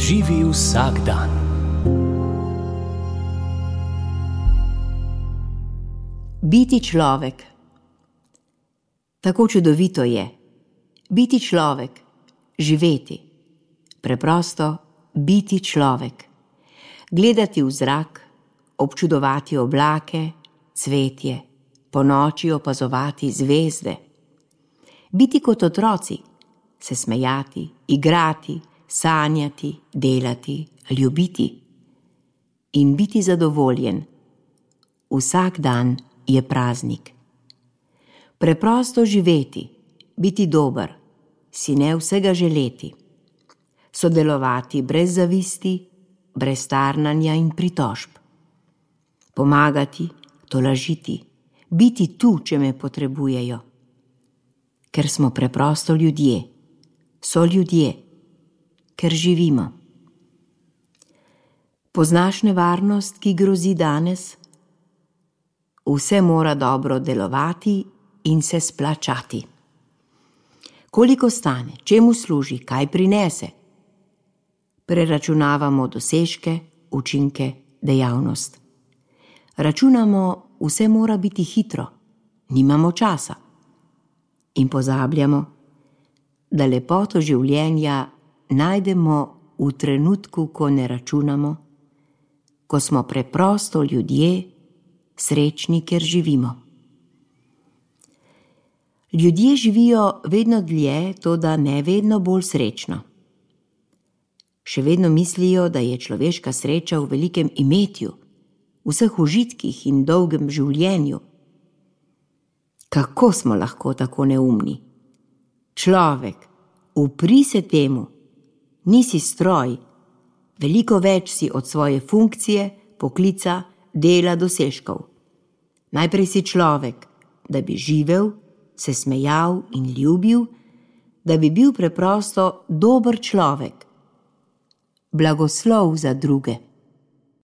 Živi vsak dan. Biti človek. Tako čudovito je. Biti človek, živeti. Preprosto biti človek. Gledati v zrak, občudovati oblake, cvetje, ponoči opazovati zvezde. Biti kot otroci, se smejati, igrati, sanjati, delati, ljubiti. In biti zadovoljen. Vsak dan je praznik. Preprosto živeti, biti dober, si ne vsega želeti. Sodelovati brez zavisti, brez tarnanja in pritožb. Pomagati, tolažiti, biti tu, če me potrebujejo. Ker smo preprosto ljudje, so ljudje, ker živimo. Poznaš nevarnost, ki grozi danes? Vse mora dobro delovati in se splačati. Koliko stane, čemu služi, kaj prinese? Preračunavamo dosežke, učinke, dejavnost. Računamo, vse mora biti hitro, nimamo časa. In pozabljamo, da lepoto življenja najdemo v trenutku, ko ne računamo, ko smo preprosto ljudje, srečni, ker živimo. Ljudje živijo vedno dlje, toda ne vedno bolj srečno. Še vedno mislijo, da je človeška sreča v velikem imetju, vseh užitkih in dolgem življenju. Kako smo lahko tako neumni? Človek, upri se temu, nisi stroj, veliko več si od svoje funkcije, poklica, dela, dosežkov. Najprej si človek, da bi živel, se smejal in ljubil, da bi bil preprosto dober človek. Blagoslov za druge.